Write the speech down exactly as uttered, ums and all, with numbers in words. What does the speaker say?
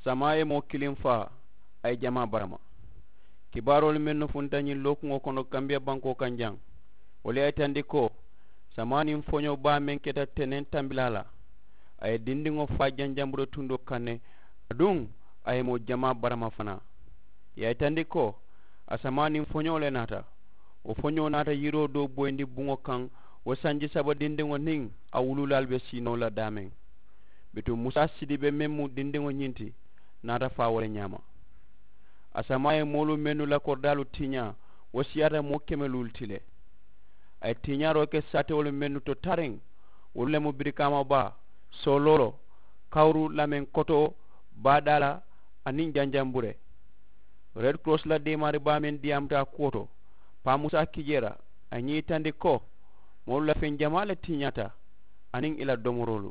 Samaa ye moo kiliŋ faa, a ye jamaa barama. Kibaaroolu mennu funta ñiŋ lookuŋo kono kambiya bankoo kaŋ jaŋ, wolu ye a yitandi ko samaa niŋ foñoo baa meŋ keta teneŋ tambilaa la, a ye dindiŋo faa janjambure tundoo kaŋ ne. Aduŋ a ye moo jamaa barama fanaa. Ì ye a yitandi ko a samaa niŋ foñoo le naata. Wo foñoo naata yiroo doo boyindi buŋo kaŋ, wo sanji saba dindiŋo niŋ a wuluulaalu be siinoo la daameŋ. Bituŋ musa sidibe meŋ mu dindiŋo ñiŋ ti, naata faa wo le ñaama. A samaa ye moolu mennu la koridaalu tiiñaa, wo siyaata moo keme luulu ti le. A ye tiiñaaroo ke saatewolu mennu to tariŋ, wolu le mu birikaama baa, sooloolo, kawuru lameŋ kotoo, baadaala, aniŋ janjambure. Red korosi la deemaari baa meŋ diyaamuta a kuwo to, paa musa kijeera, a ye ñiŋ yitandi ko moolu la feŋ jamaa le tiiñaata, aniŋ ì la domoroolu.